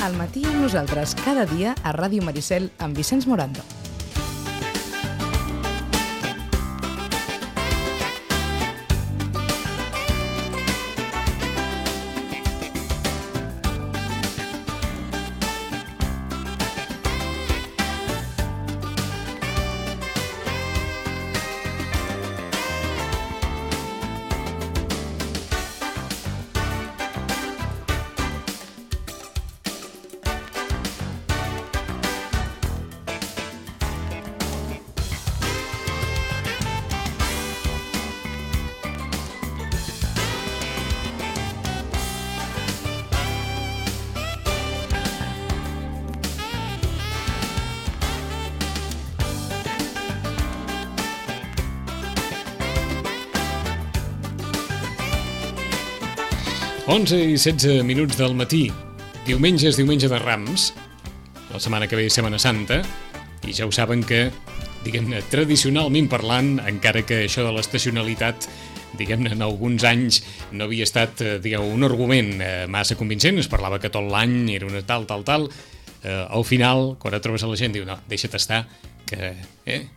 Al matí amb nosaltres cada dia a Ràdio Maricel amb Vicenç Morando. Onze i 16 minuts del matí. Diumenge és diumenge de Rams. La setmana que ve és Setmana Santa. I ja ho saben que, diguem-ne, tradicionalment parlant, encara que això de l'estacionalitat, diguem-ne, en alguns anys no havia estat, un argument massa convincent. Es parlava que tot l'any era una tal. Al final, quan et trobes a la gent, diu, no, deixa't estar, que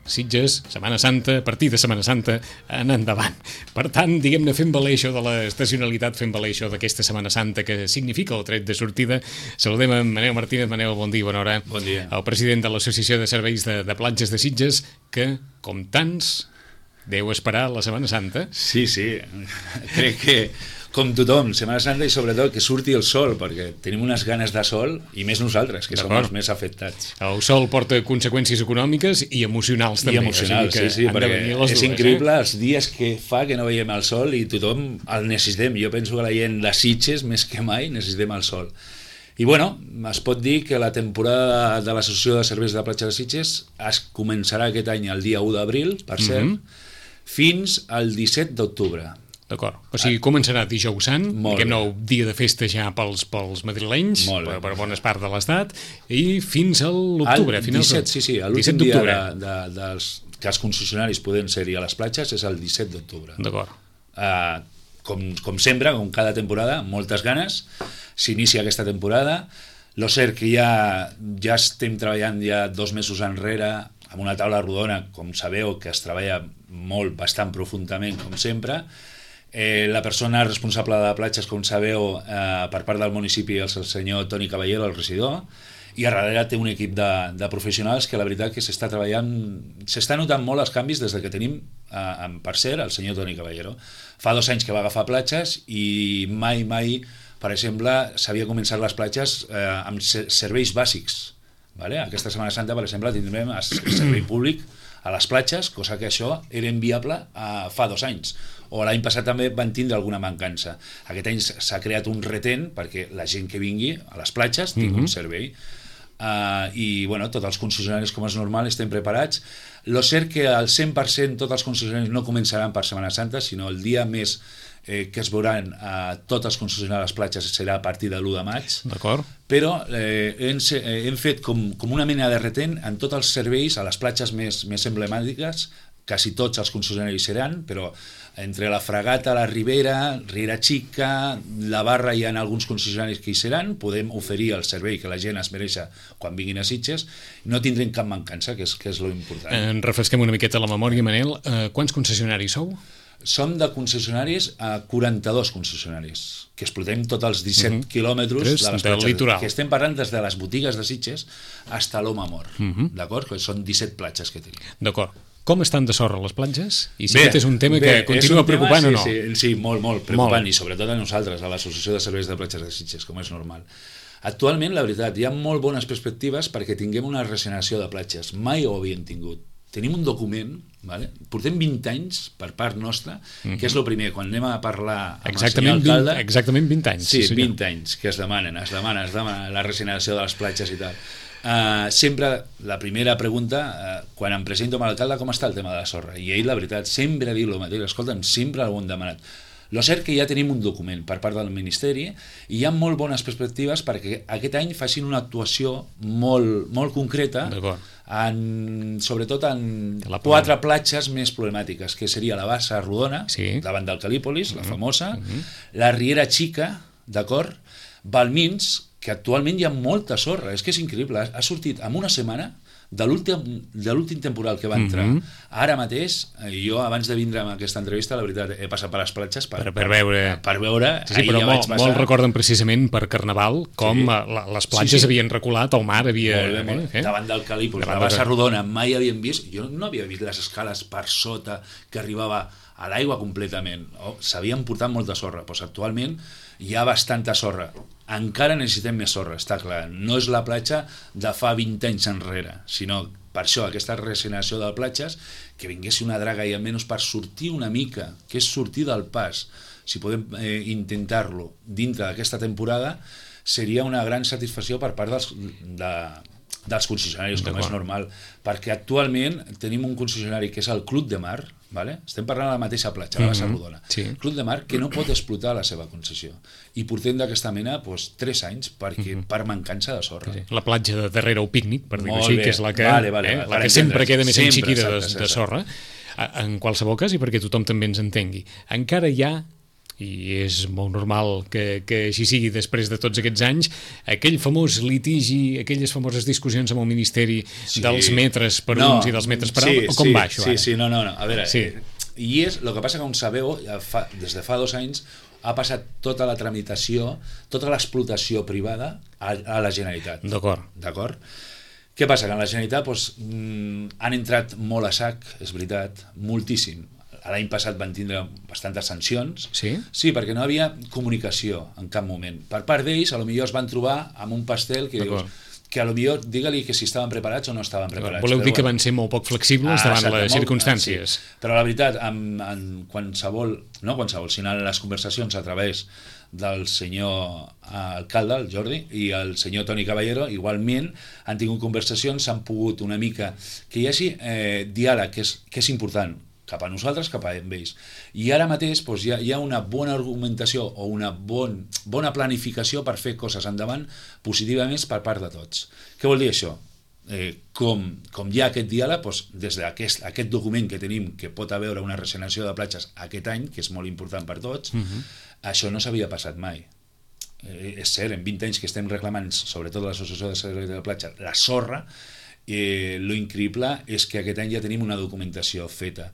Sitges, Setmana Santa, a partir de Setmana Santa, anar endavant. Per tant, diguem-ne, fent valer això de l'estacionalitat, fent valer això d'aquesta Setmana Santa que significa el tret de sortida. Saludem a Manel Martínez. Manel, bon dia, bona hora. Bon dia. El president de l'Associació de Serveis de Platges de Sitges, que, com tants, deu esperar la Setmana Santa. Sí, crec que com tothom, Setmana Santa, i sobretot que surti el sol, perquè tenim unes ganes de sol, i més nosaltres, que som els més afectats. El sol porta conseqüències econòmiques i emocionals també. I emocionals, sí, perquè és increïble els dies que fa que no veiem el sol i tothom el necessitem. Jo penso que la gent de Sitges, més que mai, necessitem el sol. I bueno, es pot dir que la temporada de l'Associació de Serveis de Platja de Sitges es començarà aquest any el dia 1 d'abril, per cert, fins al 17 d'octubre. D'acord. O sigui, començarà dijous sant, diguem-ne, el dia de festa ja pels madrilenys, per bones parts de l'estat, i fins a l'octubre. El 17, sí, l'últim dia que els concessionaris poden ser-hi a les platges és el 17 d'octubre. D'acord. Com sempre, com cada temporada, moltes ganes, s'inicia aquesta temporada. Lo cert que ja estem treballant ja 2 mesos enrere amb una taula rodona, com sabeu, que es treballa molt, bastant profundament, com sempre. La persona responsable de platges, com sabeu, per part del municipi és el senyor Toni Caballero, el regidor, i a darrere té un equip de professionals que la veritat que s'està treballant, s'està notant molt els canvis des que tenim, per cert, el senyor Toni Caballero. Fa 2 anys que va agafar platges i mai, per exemple, s'havia començat les platges amb serveis bàsics. Aquesta Setmana Santa, per exemple, tindrem el servei públic a les platges, cosa que això era inviable fa 2 anys. O l'any passat també van tindre alguna mancança. Aquest any s'ha creat un retent perquè la gent que vingui a les platges tingui un servei. I bueno, tots els concessionaris, com és normal, estem preparats. Lo cert que al 100% tots els concessionaris no començaran per Setmana Santa, sinó el dia més que es veuran tots els concessionaris a les platges serà a partir de l'1 de maig. D'acord. Però hem fet com una mena de retent en tots els serveis a les platges més emblemàtiques. Quasi tots els concessionaris seran, però entre la Fragata, la Ribera, Riera Xica, la Barra, hi ha alguns concessionaris que hi seran. Podem oferir el servei que la gent es mereix quan vinguin a Sitges. No tindrem cap mancança, que és lo important. Refresquem una miqueta la memòria, Manel. Quants concessionaris sou? Som de concessionaris a 42 concessionaris, que explotem tots els 17 quilòmetres de les platges, que estem parlant des de les botigues de Sitges fins a l'Home Mor, d'acord? Que són 17 platges que tenim. D'acord. Com estan de sorra les platges? I si aquest és un tema que continua preocupant o no? Sí, molt preocupant, i sobretot a nosaltres, a l'Associació de Serveis de Platges de Sitges, com és normal. Actualment, la veritat, hi ha molt bones perspectives perquè tinguem una regeneració de platges. Mai ho havíem tingut. Tenim un document, portem 20 anys per part nostra, que és el primer, quan anem a parlar amb el senyor alcalde... Exactament 20 anys. Sí, 20 anys que es demanen la regeneració de les platges i tal. Sempre la primera pregunta, quan em presento amb l'alcalde, com està el tema de la sorra? I ell, la veritat, sempre ha dit el mateix. Escolta'm, sempre ho hem demanat. Lo cert que ja tenim un document per part del Ministeri i hi ha molt bones perspectives perquè aquest any facin una actuació molt concreta, sobretot en 4 platges més problemàtiques, que seria la Bassa Rodona, davant del Calípolis, la famosa, la Riera Xica, d'acord? Balmins, que actualment hi ha molta sorra, és que és increïble, ha sortit en una setmana de l'últim temporal que va entrar. Ara mateix, jo abans de vindre amb aquesta entrevista, la veritat, he passat per les platges per veure. Sí, però molt recorden precisament per Carnaval com les platges havien reculat, el mar havia... Davant del Calípol, la Bassa Rodona, mai havien vist, jo no havia vist les escales per sota que arribava a l'aigua completament. S'havien portat molta sorra, doncs actualment hi ha bastanta sorra. Encara necessitem més sorra, està clar. No és la platja de fa 20 anys enrere, sinó per això, aquesta regeneració de platges, que vingués una draga i almenys per sortir una mica, que és sortir del pas, si podem intentar-lo dintre d'aquesta temporada, seria una gran satisfacció per part dels concessionaris, com és normal, perquè actualment tenim un concessionari que és el Club de Mar, vale? Estem parlant de la mateixa platja, la Bassa Rodona, Club de Mar, que no pot explotar la seva concessió, i portem d'aquesta mena 3 anys per mancança de sorra. La platja de darrere el pícnic, per dir-ho així, que és la que sempre queda més enxiquida de sorra, en qualsevol cas, i perquè tothom també ens entengui. Encara hi ha, i és molt normal que així sigui després de tots aquests anys, aquell famós litigi, aquelles famoses discussions amb el Ministeri dels metres per uns i dels metres per altres, o com va això? No, a veure, i és el que passa que, com sabeu, des de fa 2 anys ha passat tota la tramitació, tota l'explotació privada a la Generalitat. D'acord. Què passa? Que en la Generalitat han entrat molt a sac, és veritat, moltíssim. L'any passat van tindre bastantes sancions. Sí, perquè no havia comunicació en cap moment. Per part d'ells, potser es van trobar amb un pastel que dius, que potser digue-li que si estaven preparats o no estaven preparats. Voleu dir que van ser molt poc flexibles davant les circumstàncies. Però la veritat, en qualsevol, sinó en les conversacions a través del senyor alcalde, el Jordi, i el senyor Toni Caballero, igualment han tingut conversacions, s'han pogut una mica que hi hagi diàleg, que és important, cap a nosaltres, cap a ells. I ara mateix hi ha una bona argumentació o una bona planificació per fer coses endavant positivament per part de tots. Què vol dir això? Com hi ha aquest diàleg, des d'aquest document que tenim, que pot haver una regeneració de platges aquest any, que és molt important per tots, això no s'havia passat mai. És cert, en 20 anys que estem reclamant, sobretot l'Associació de Serveis de la Platja, la sorra, lo increïble és que aquest any ja tenim una documentació feta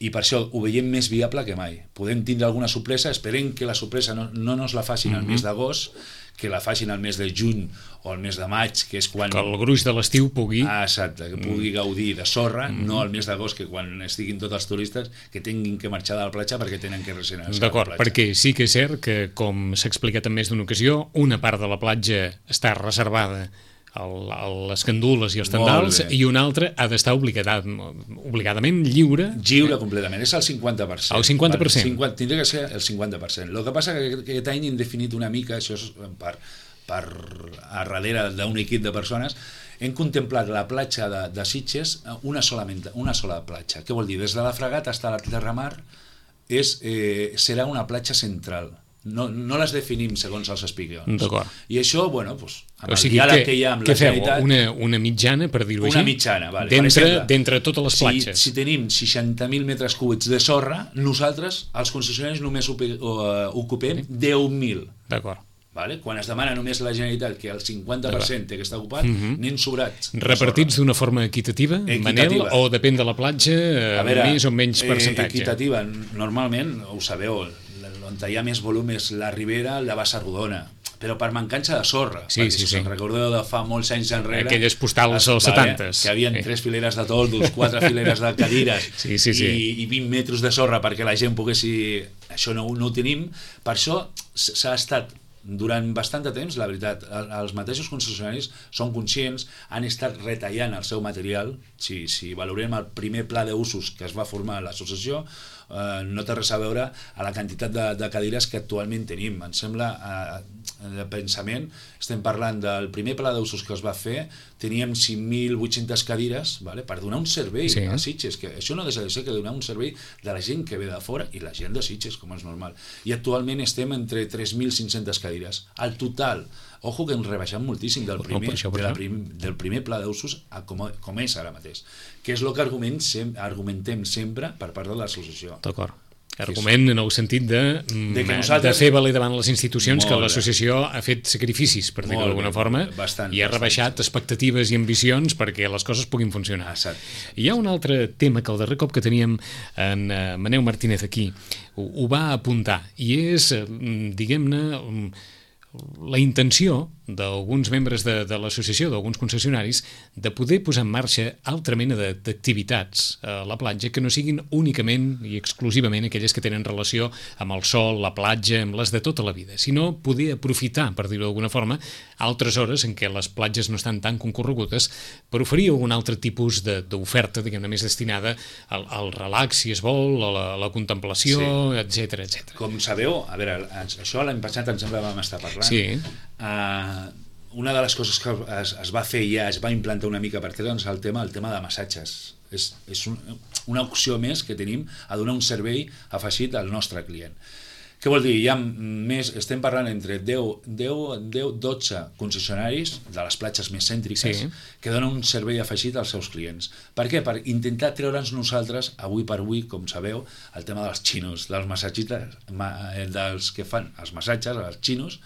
i per això ho veiem més viable que mai. Podem tindre alguna sorpresa, esperem que la sorpresa no nos la facin al mes d'agost, que la facin al mes de juny o al mes de maig, que és quan... Que el gruix de l'estiu pugui... Exacte, que pugui gaudir de sorra, no al mes d'agost, que quan estiguin tots els turistes que tinguin que marxar de la platja perquè tenen que regenerar la platja. D'acord, perquè sí que és cert que, com s'ha explicat en més d'una ocasió, una part de la platja està reservada les candules i els tendals i una altra ha d'estar obligadament lliure. Lliure completament, és el 50%. El 50%? Tindria que ser el 50%. El que passa que aquest any hem definit una mica, això és per a darrere d'un equip de persones, hem contemplat la platja de Sitges una sola platja. Què vol dir? Des de la Fragata fins a la Terramar serà una platja central. No les definim segons els espigots. I això, amb el diàleg que hi ha amb la Generalitat... Què feu? Una mitjana, per dir-ho així? Una mitjana, vale. D'entre totes les platges. Si tenim 60.000 metres cúbics de sorra, nosaltres, els concessionaris, només ocupem 10.000. D'acord. Quan es demana només la Generalitat que el 50% té que estar ocupat, n'hem sobrats. Repartits d'una forma equitativa, Manel, o depèn de la platja, més o menys percentatge? Equitativa, normalment, ho sabeu, on hi ha més volum és la Ribera, la Bassa Rodona, però per mancança de sorra. Sí. Recordeu de fa molts anys enrere... Aquelles postals als 70s. Que havia 3 fileres de toldos, 4 fileres de cadires i 20 metres de sorra perquè la gent pogués... Això no ho tenim. Per això s'ha estat durant bastant de temps, la veritat, els mateixos concessionaris són conscients, han estat retallant el seu material. Si valorem el primer pla d'usos que es va formar a l'associació, no té res a veure a la quantitat de cadires que actualment tenim. Em sembla, de pensament, estem parlant del primer pla d'usos que es va fer, teníem 5.800 cadires per donar un servei a Sitges, que això no deixa de ser que donar un servei de la gent que ve de fora i la gent de Sitges, com és normal. I actualment estem entre 3.500 cadires. Al total, ojo que hem rebaixat moltíssim del primer pla d'usos com és ara mateix, que és el que argumentem sempre per part de l'associació. D'acord. Argument en el sentit de fer valer davant les institucions que l'associació ha fet sacrificis, per dir-ho d'alguna forma, i ha rebaixat expectatives i ambicions perquè les coses puguin funcionar. Hi ha un altre tema que el darrer cop que teníem en Maneu Martínez aquí ho va apuntar, i és, diguem-ne, la intenció d'alguns membres de l'associació, d'alguns concessionaris, de poder posar en marxa altra mena d'activitats a la platja que no siguin únicament i exclusivament aquelles que tenen relació amb el sol, la platja, amb les de tota la vida, sinó poder aprofitar, per dir-ho d'alguna forma, altres hores en què les platges no estan tan concorregudes per oferir algun altre tipus d'oferta, diguem-ne, més destinada al relax, si es vol, a la contemplació, etc. Com sabeu, a veure, això l'any passat em sembla que vam estar parlant. Sí. Una de les coses que es va fer ja, es va implantar una mica per treure'ns el tema de massatges. És una opció més que tenim a donar un servei afegit al nostre client. Què vol dir? Hi ha més, estem parlant entre 10-12 concessionaris de les platges més cèntriques que donen un servei afegit als seus clients. Per què? Per intentar treure'ns nosaltres, avui per avui, com sabeu, el tema dels xinos, dels massatgistes, dels que fan els massatges, els xinos,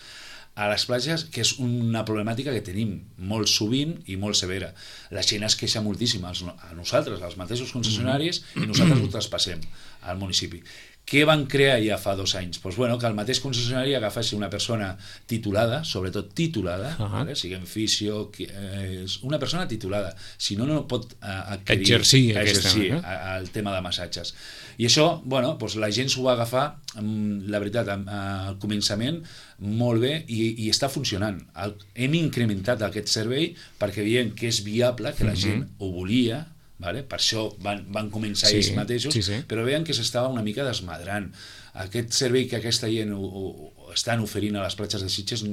a les platges, que és una problemàtica que tenim molt sovint i molt severa. La gent es queixa moltíssim a nosaltres, als mateixos concessionaris, i nosaltres ho traspassem al municipi. Què van crear ja fa 2 anys? Doncs bueno, que el mateix concessionari agafessi una persona titulada, sobretot titulada, siguem fisio, una persona titulada, si no, no pot exercir el tema de massatges. I això, bueno, doncs la gent s'ho va agafar, la veritat, al començament molt bé, i està funcionant. Hem incrementat aquest servei perquè veiem que és viable, que la gent ho volia. Per això van començar ells mateixos, però veien que s'estava una mica desmadrant. Aquest servei que aquesta gent estan oferint a les platges de Sitges,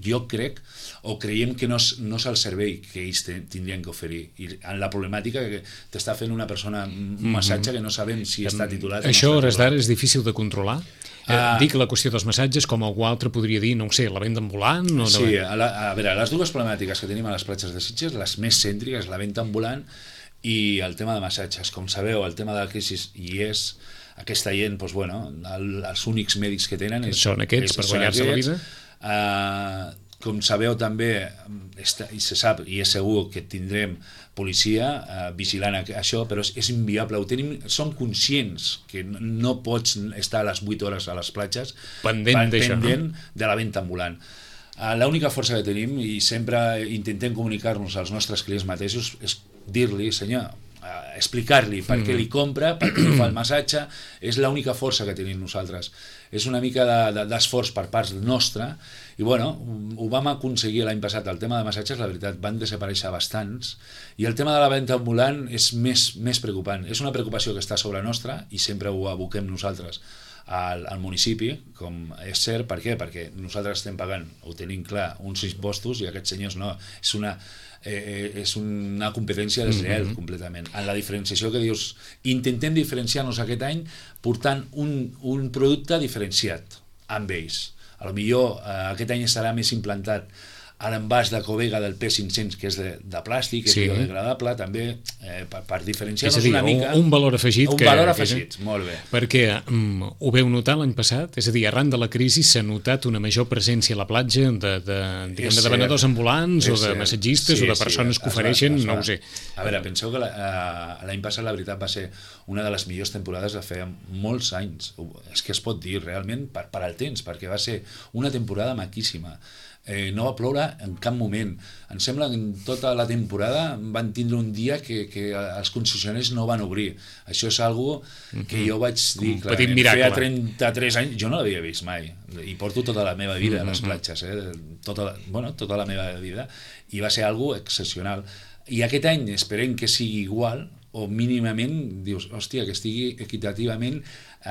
jo crec, o creiem que no és el servei que ells tindrien que oferir. I en la problemàtica que t'està fent una persona un massatge que no sabem si està titulat o no està titulat. Això, a hores d'ara, és difícil de controlar? Dic la qüestió dels massatges, com algú altre podria dir, no ho sé, la venda ambulant? Sí, a veure, les dues problemàtiques que tenim a les platges de Sitges, les més cèntriques, la venda ambulant i el tema de massatges. Com sabeu, el tema de la crisi hi és, aquesta gent, doncs, bueno, els únics mèdics que tenen són aquests per guanyar-se la vida. Com sabeu també, i se sap i és segur que tindrem policia vigilant això, però és inviable. Som conscients que no pots estar a les 8 hores a les platges pendent de la venda ambulant. L'única força que tenim, i sempre intentem comunicar-nos als nostres clients mateixos, és dir-li, senyor, explicar-li per què li compra, per què li fa el massatge, és l'única força que tenim nosaltres. És una mica d'esforç per part nostra, i bueno, ho vam aconseguir l'any passat. El tema de massatges, la veritat, van desaparèixer bastants, i el tema de la venda ambulant és més preocupant. És una preocupació que està sobre nostra, i sempre ho aboquem nosaltres al municipi, com és cert. Per què? Perquè nosaltres estem pagant, ho tenim clar, uns impostos, i aquests senyors no. És una competència deslleial completament. En la diferenciació que dius, intentem diferenciar-nos aquest any portant un producte diferenciat amb ells. A lo millor aquest any estarà més implantat a l'envàs de Covega del P500, que és de plàstic, és biodegradable, també per diferenciar-nos una mica. Un valor afegit. Un valor afegit, molt bé. Perquè ho veu notar l'any passat? És a dir, arran de la crisi s'ha notat una major presència a la platja de venedors ambulants o de massatgistes o de persones que ofereixen, no ho sé. A veure, penseu que l'any passat la veritat va ser una de les millors temporades de feia molts anys. És que es pot dir realment per al temps, perquè va ser una temporada maquíssima. No va ploure en cap moment. Em sembla que en tota la temporada van tindre un dia que els concessionaris no van obrir. Això és algo que jo vaig dir, clar, feia 33 anys, jo no l'havia vist mai, i porto tota la meva vida a les platges, tota la meva vida, i va ser algo excepcional. I aquest any esperem que sigui igual, o mínimament dius, hòstia, que estigui equitativament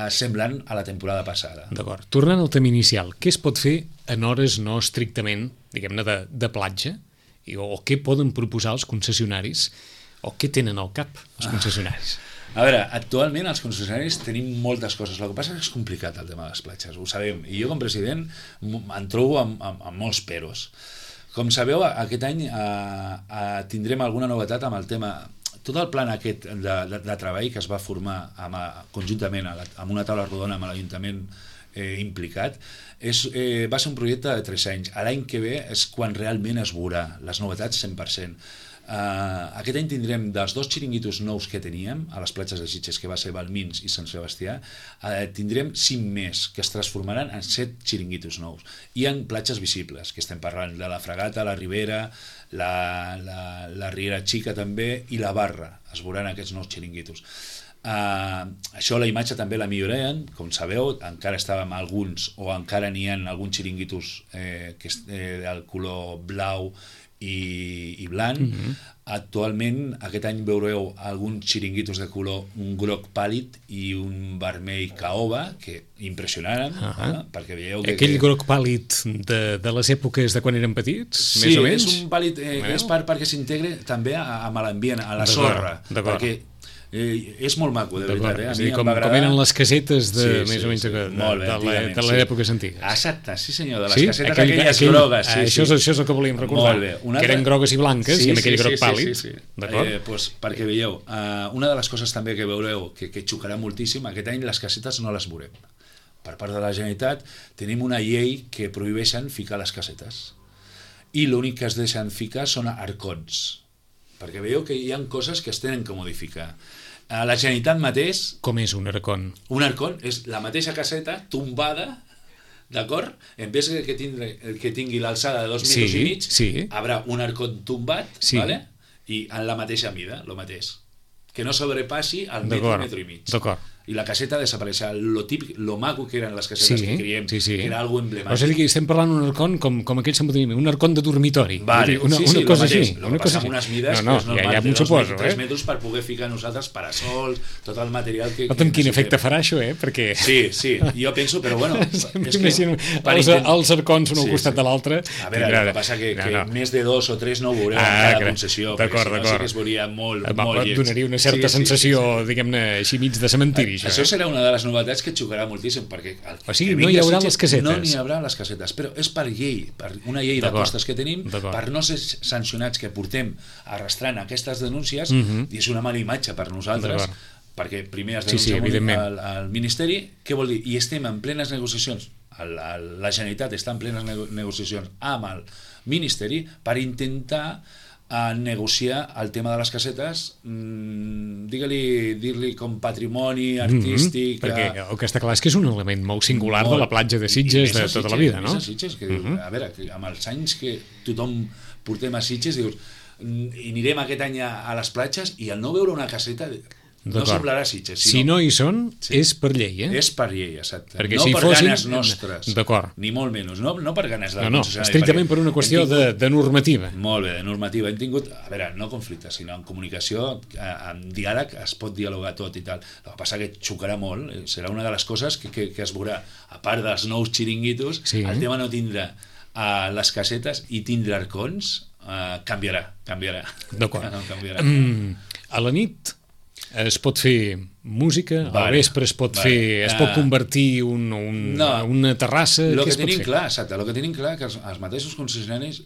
semblant a la temporada passada. D'acord. Tornant al tema inicial, què es pot fer en hores no estrictament, diguem-ne, de platja? O què poden proposar els concessionaris? O què tenen al cap els concessionaris? A veure, actualment els concessionaris tenim moltes coses. El que passa és que és complicat el tema de les platges, ho sabem. I jo com a president em trobo amb molts peros. Com sabeu, aquest any tindrem alguna novetat amb el tema. tot el plan aquest de treball que es va formar conjuntament amb una taula rodona amb l'Ajuntament implicat, va ser un projecte de 3 anys. L'any que ve és quan realment es veurà les novetats 100%. Aquest any tindrem dels 2 xiringuitos nous que teníem a les platges de Sitges, que va ser Balmins i Sant Sebastià, tindrem 5 més que es transformaran en 7 xiringuitos nous i en platges visibles, que estem parlant de la Fragata, la Ribera, la Riera Xica també i la Barra, es veuran aquests nous xiringuitos. Això la imatge també la millorem, com sabeu, encara estàvem alguns o encara n'hi ha alguns xiringuitos que és del color blau i blanc. Actualment aquest any veureu alguns xiringuitos de color un groc pàl·lid i un vermell caoba que impressionaran, perquè veieu que... Aquell groc pàl·lid de les èpoques de quan eren petits, sí, més o menys? Sí, és un pàl·lid és perquè s'integre també amb l'ambient, a la sorra, perquè és molt maco, de veritat. És a dir, com eren les casetes més o menys de les èpoques antigues. Exacte, sí senyor, de les casetes aquelles grogues. Això és el que volíem recordar, que eren grogues i blanques i amb aquell groc pàl·lid. Perquè veieu, una de les coses també que veureu que xocarà moltíssim, aquest any les casetes no les veurem. Per part de la Generalitat tenim una llei que prohibeixen ficar les casetes i l'únic que es deixen ficar són arcons, perquè veieu que hi ha coses que es tenen que modificar. La Generalitat mateix... Com és un arcon? Un arcon és la mateixa caseta tombada, d'acord? En vez que tingui l'alçada de 2 metres i mig, haurà un arcon tombat, i en la mateixa mida, el mateix. Que no sobrepassi el metre i mig. D'acord. I la caseta desapareixerà. Lo típic, lo maco que eren les casetes que creiem, que era algo emblemàtic. O sigui, estem parlant d'un arcon com aquell s'emboteniment, un arcon de dormitori. Vale, una cosa així. Lo que passa amb unes mides que és normal, ja de 2 metres per poder ficar nosaltres parasols, tot el material que... Amb quin efecte farà això, perquè... Sí, jo penso, però bueno... Els arcons un al costat de l'altre... A veure, el que passa que més de 2 o 3 no ho veureu en cada concessió, perquè si no sí que es veuria molt lleig. Donaria una certa sensació, diguem-ne, així mig de cementiri. Això serà una de les novetats que xocarà moltíssim, perquè o sigui, no hi haurà les casetes. No n'hi haurà les casetes, però és per llei, per una llei d'apostes que tenim, per no ser sancionats que portem arrastrant aquestes denúncies, i és una mala imatge per nosaltres, perquè primer es denuncia al Ministeri, què vol dir? I estem en plenes negociacions, la Generalitat està en plenes negociacions amb el Ministeri per intentar a negociar el tema de les casetes, dir-li com patrimoni artístic... Perquè el que està clar és que és un element molt singular de la platja de Sitges de tota la vida, no? A Sitges, que dius, a veure, amb els anys que tothom portem a Sitges, dius, i anirem aquest any a les platges i al no veure una caseta... No semblarà Sitges. Si no hi són, és per llei, És per llei, exacte. Perquè no si per ganes nostres, ni molt menys, no per ganes del concessionari. Estrictament per una qüestió de normativa. Molt bé, de normativa. Hem tingut, a veure, no conflictes, sinó en comunicació, en diàleg es pot dialogar tot i tal. El que passa que xocarà molt, serà una de les coses que es veurà. A part dels nous xiringuitos, el tema no tindrà les casetes i tindrà arcons, canviarà. D'acord. A la nit es pot fer música, al vespre es pot fer, es pot convertir una terrassa... El que tenim clar, exacte, el que tenim clar que els mateixos concessionaris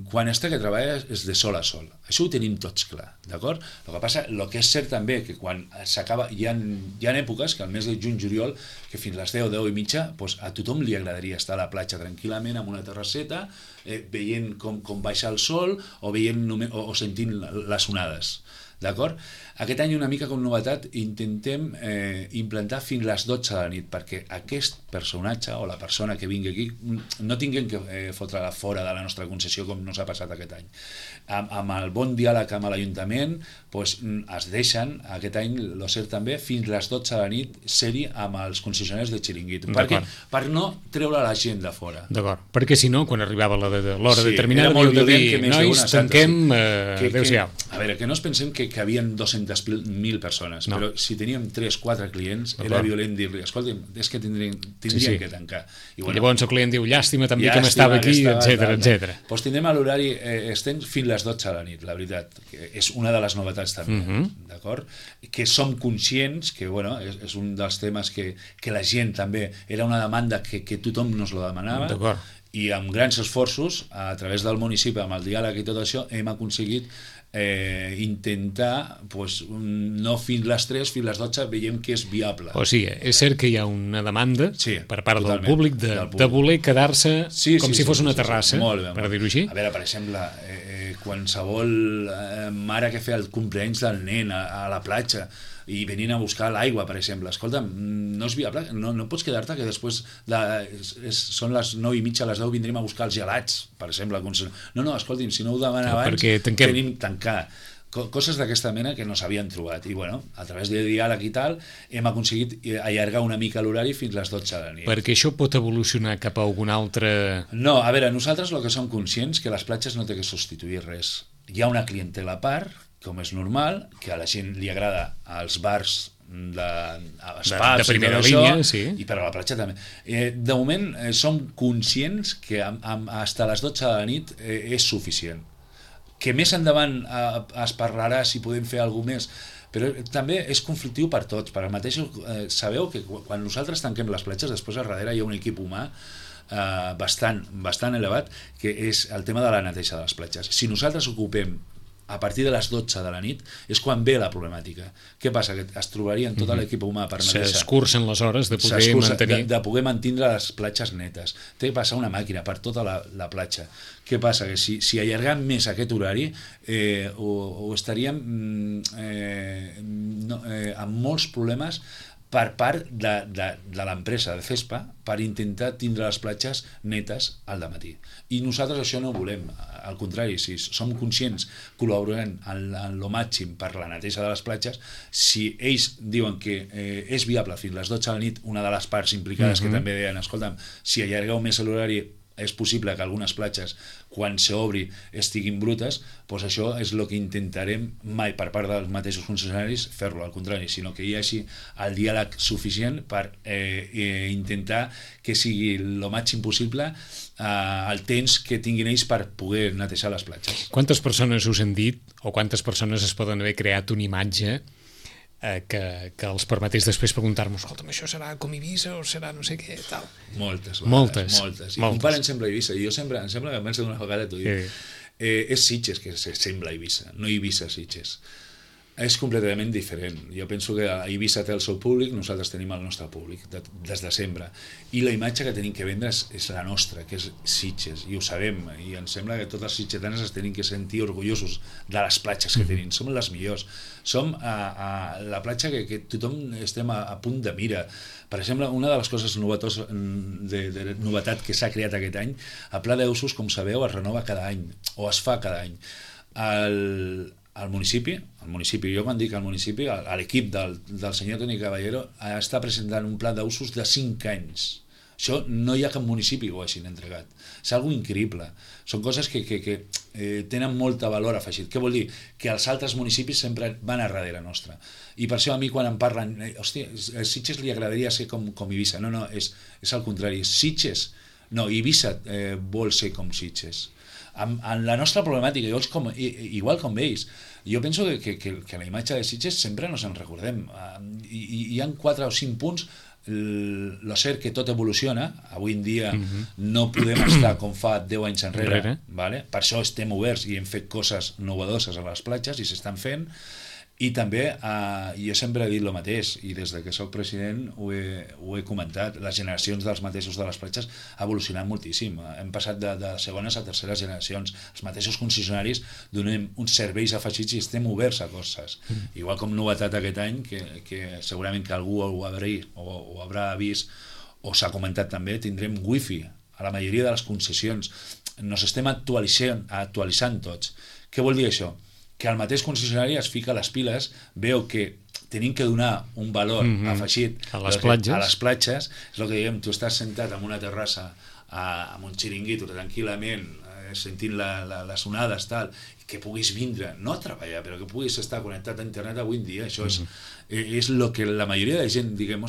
quan es tracta de treballar és de sol a sol. Això ho tenim tots clar, d'acord? El que passa, el que és cert també, que quan s'acaba, hi ha èpoques que al mes de juny-juliol, que fins les 10 i mitja, a tothom li agradaria estar a la platja tranquil·lament amb una terrasseta, veient com baixa el sol o sentint les onades. D'acord? Aquest any una mica com novetat intentem implantar fins les 12 de la nit perquè aquest personatge o la persona que vingui aquí no tinguem que fotre-la fora de la nostra concessió com no s'ha passat aquest any. Amb el bon diàleg amb l'Ajuntament es deixen aquest any, lo cert també, fins les 12 de la nit ser-hi amb els concessionaris de xiringuito. Per no treure la gent de fora. D'acord, perquè si no, quan arribava l'hora determinada havíeu de dir, nois, tanquem, adéu-siau. A veure, que no es pensem que havien 200.000 persones, però si teníem 3-4 clients era violent dir-li, escolta, és que tindrien que tancar. I llavors el client diu, llàstima també que m'estava aquí, etc. Doncs tindrem a l'horari extens fins les 12 de la nit, la veritat. És una de les novetats també, d'acord? Que som conscients que, bueno, és un dels temes que la gent també, era una demanda que tothom nos lo demanava, I amb grans esforços, a través del municipi, amb el diàleg i tot això, hem aconseguit intentar, pues, no fins les 3, fins les 12, veiem que és viable. O sigui, és cert que hi ha una demanda per part del públic de voler quedar-se com si fos una terrassa, per dir-ho així. A veure, per exemple, qualsevol mare que fa el cumpleaños del nen a la platja i venint a buscar l'aigua, per exemple, escolta'm, no és viable, no pots quedar-te que després són les 9:30, a les 10 vindrem a buscar els gelats, per exemple. No, escolti'm, si no ho demana abans, tenim tancar. Coses d'aquesta mena que no s'havien trobat. I bueno, a través de diàleg i tal, hem aconseguit allargar una mica l'horari fins les 12 de la nit. Perquè això pot evolucionar cap a algun altre... No, a veure, nosaltres el que som conscients que les platges no té que substituir res. Hi ha una clientela a part, com és normal, que a la gent li agrada als bars de primera línia, sí. I per a la platja també. De moment som conscients que fins a les 12 de la nit és suficient. Que més endavant es parlarà si podem fer alguna més, però també és conflictiu per tots. Per al mateix, sabeu que quan nosaltres tanquem les platges, després a darrere hi ha un equip humà bastant elevat, que és el tema de la neteja de les platges. Si nosaltres ocupem a partir de les 12 de la nit és quan ve la problemàtica. Què passa? Que es trobarien tot l'equip humà per netejar. S'escurcen les hores de poder mantenir les platges netes. Té que passar una màquina per tota la platja. Què passa? Que si allargam més aquest horari ho estaríem amb molts problemes per part de l'empresa de FESPA per intentar tindre les platges netes al dematí. I nosaltres això no ho volem. Al contrari, si som conscients, col·laborem en lo màxim per la neteja de les platges, si ells diuen que és viable fins les 12 de la nit, una de les parts implicades que també deien, escolta'm, si allargueu més l'horari és possible que algunes platges, quan s'obri, estiguin brutes, doncs això és el que intentarem mai per part dels mateixos funcionaris fer-lo, al contrari, sinó que hi hagi el diàleg suficient per intentar que sigui el màxim possible el temps que tinguin ells per poder netejar les platges. Quantes persones us han dit, o quantes persones es poden haver creat una imatge que els permetés després preguntar-nos, escolta'm, això serà com Eivissa o serà no sé què, tal. Moltes. I comparen sempre Eivissa. I jo sempre, em sembla que més d'una vegada t'ho dic, és Sitges que sembla Eivissa, no Eivissa Sitges. És completament diferent. Jo penso que Eivissa té el seu públic, nosaltres tenim el nostre públic des de sempre, i la imatge que tenim que vendre és la nostra, que és Sitges, i ho sabem, i em sembla que tots els sitgetanes es tenim que sentir orgullosos de les platges que tenim, som les millors, som la platja que tothom estem a punt de mira. Per exemple, una de les coses de novetat que s'ha creat aquest any, el pla d'usos, com sabeu, es renova cada any, o es fa cada any. El municipi, jo quan dic el municipi, l'equip del senyor Toni Caballero està presentant un pla d'usos de 5 anys. Això no hi ha cap municipi que ho hagin entregat. És algo increïble. Són coses que tenen molt valor afegit. Què vol dir? Que els altres municipis sempre van a darrere nostra. I per això a mi quan em parlen, hòstia, a Sitges li agradaria ser com Eivissa. No, és al contrari. Sitges, no, Eivissa vol ser com Sitges. En la nostra problemàtica, igual com ells, jo penso que la imatge de Sitges sempre ens en recordem. Hi ha 4 o 5 punts. Lo cert que tot evoluciona, avui en dia no podem estar com fa 10 anys enrere, vale? Per això estem oberts i hem fet coses novedoses a les platges i s'estan fent. I també, jo sempre he dit el mateix, i des que soc president ho he comentat, les generacions dels mateixos de les platges ha evolucionat moltíssim. Hem passat de segones a terceres generacions. Els mateixos concessionaris donem uns serveis afegits i estem oberts a coses. Igual com novetat aquest any, que segurament que algú ho haurà vist, o s'ha comentat també, tindrem wifi a la majoria de les concessions. Nos estem actualitzant tots. Què vol dir això? Que el mateix concessionari es fica a les piles, veu que tenim que donar un valor afegit a les platges. És el que diem, tu estàs sentat en una terrassa amb un xiringuito tranquil·lament, sentint les onades, tal, que puguis vindre, no a treballar, però que puguis estar connectat a internet avui en dia. Això és el que la majoria de gent, diguem,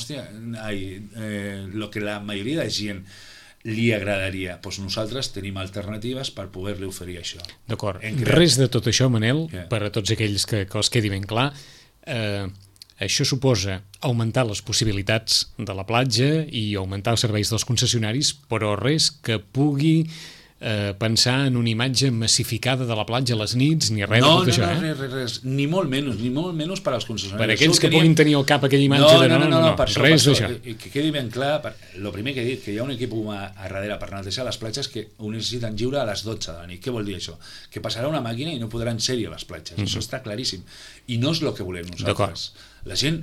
el que la majoria de gent li agradaria. Doncs nosaltres tenim alternatives per poder-li oferir això. D'acord. Res de tot això, Manel, per a tots aquells que els quedi ben clar, això suposa augmentar les possibilitats de la platja i augmentar els serveis dels concessionaris, però res que pugui pensar en una imatge massificada de la platja a les nits, ni res de tot això. No, res, ni molt menys per als concessionaris. Per aquells que puguin tenir al cap aquella imatge no, res d'això. Que quedi ben clar, el primer que he dit, que hi ha un equip humà a darrere per netejar les platges que ho necessiten lliure a les 12 de la nit. Què vol dir això? Que passarà una màquina i no podran ser-hi a les platges. Això està claríssim. I no és el que volem nosaltres. La gent,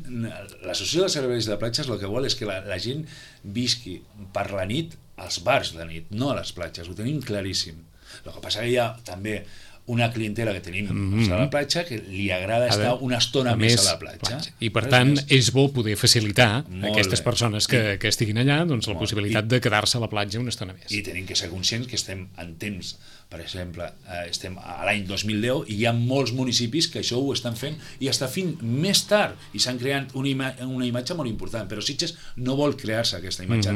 l'associació de serveis de platges el que vol és que la gent visqui per la nit als bars de nit, no a les platges, ho tenim claríssim. El que passa que hi ha també una clientela que tenim a la platja que li agrada estar una estona més a la platja. I per tant és bo poder facilitar a aquestes persones que estiguin allà doncs, la possibilitat de quedar-se a la platja una estona més. I tenim que ser conscients que estem en temps, per exemple, estem a l'any 2010 i hi ha molts municipis que això ho estan fent i està fent més tard i s'han creat una imatge molt important, però Sitges no vol crear-se aquesta imatge.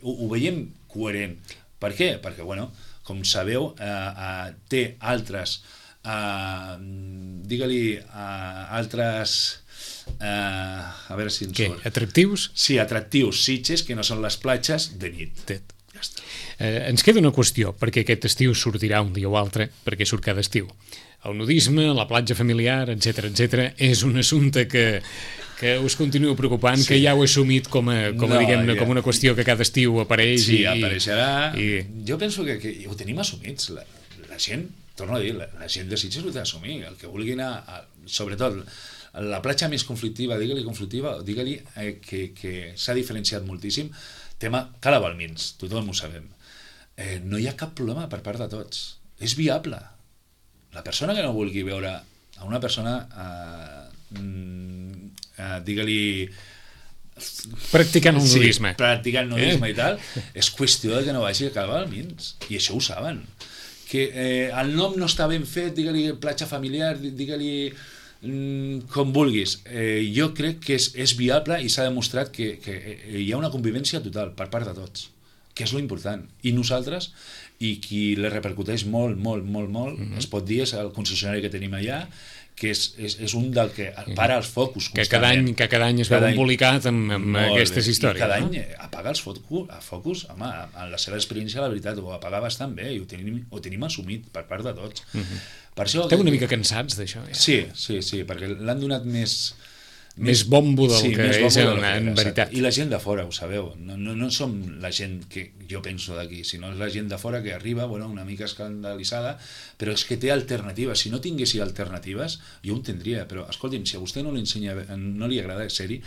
Ho veiem coherent. Per què? Perquè, bueno, com sabeu, té altres altres a veure si ens surt. Atractius? Sí, atractius Sitges que no són les platges de nit. Ja està. Ens queda una qüestió, perquè aquest estiu sortirà un dia o altre, perquè surt cada estiu. El nudisme, la platja familiar, etc és un assumpte que us continua preocupant, que ja ho he assumit com una qüestió que cada estiu apareix. Sí, apareixerà. Jo penso que ho tenim assumits. La gent, torno a dir, la gent de Sitges ho té assumir. El que vulgui anar, sobretot, la platja més conflictiva, digue-li que s'ha diferenciat moltíssim. Tema Cala Balmins, tothom ho sabem. No hi ha cap problema per part de tots. És viable. La persona que no vulgui veure a una persona digue-li practicant el nudisme. Practicant nudisme i tal, és qüestió de que no vagi a Cala Balmins, i això ho saben. Que el nom no està ben fet, digue-li platja familiar, digue-li com vulguis. Jo crec que és viable i s'ha demostrat que hi ha una convivència total per part de tots, que és lo important. I nosaltres, i qui le repercuteix molt, es pot dir, és el concessionari que tenim allà, que és un del que para els focus constantment. Que cada any es veu embolicat amb aquestes històries. I cada any apaga els focus, home, en la seva experiència, la veritat, ho apaga bastant bé i ho tenim assumit per part de tots. Per això, esteu una mica cansats d'això, ja? Sí, perquè l'han donat més bombo del que és en veritat. I la gent de fora, ho sabeu, no som la gent que jo penso d'aquí, sinó és la gent de fora que arriba, una mica escandalitzada, però és que té alternatives. Si no tinguessi alternatives, jo ho entendria, però escolti'm, si a vostè no li agrada ser-hi,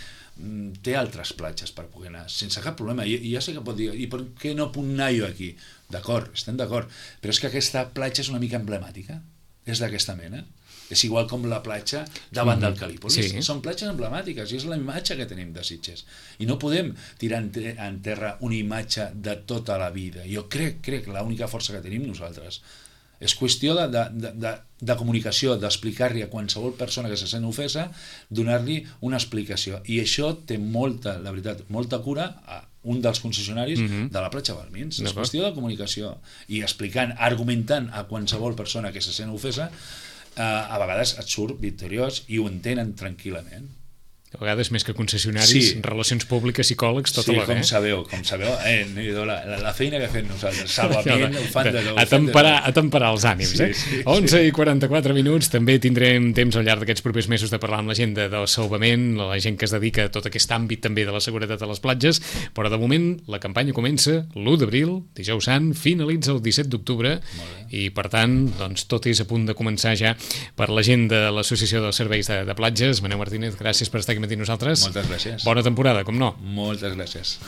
té altres platges per poder anar, sense cap problema. I ja sé que pot dir, i per què no puc anar jo aquí? D'acord, estem d'acord, però és que aquesta platja és una mica emblemàtica, és d'aquesta mena. És igual com la platja davant del Calípolis. Són platges emblemàtiques i és la imatge que tenim de Sitges. I no podem tirar en terra una imatge de tota la vida. Jo crec l'única força que tenim nosaltres. És qüestió de comunicació, d'explicar-li a qualsevol persona que se sent ofesa, donar-li una explicació. I això té la veritat, molta cura a un dels concessionaris de la platja Balmins. És qüestió de comunicació. I explicant, argumentant a qualsevol persona que se sent ofesa, a vegades et surt victoriós i ho entenen tranquil·lament. A vegades més que concessionaris, relacions públiques, psicòlegs, tot alhora. Sí, com sabeu, la feina que fem nosaltres, salvament, ho fan de tot. A temperar els ànims, 11:44 minuts, també tindrem temps al llarg d'aquests propers mesos de parlar amb la gent del salvament, la gent que es dedica a tot aquest àmbit també de la seguretat a les platges, però de moment la campanya comença l'1 d'abril, dijous sant, finalitza el 17 d'octubre, i per tant, doncs, tot és a punt de començar ja per la gent de l'Associació dels Serveis de Platges. Manel Martínez, gràcies per estar aquí amb nosaltres. Moltes gràcies. Bona temporada, com no. Moltes gràcies.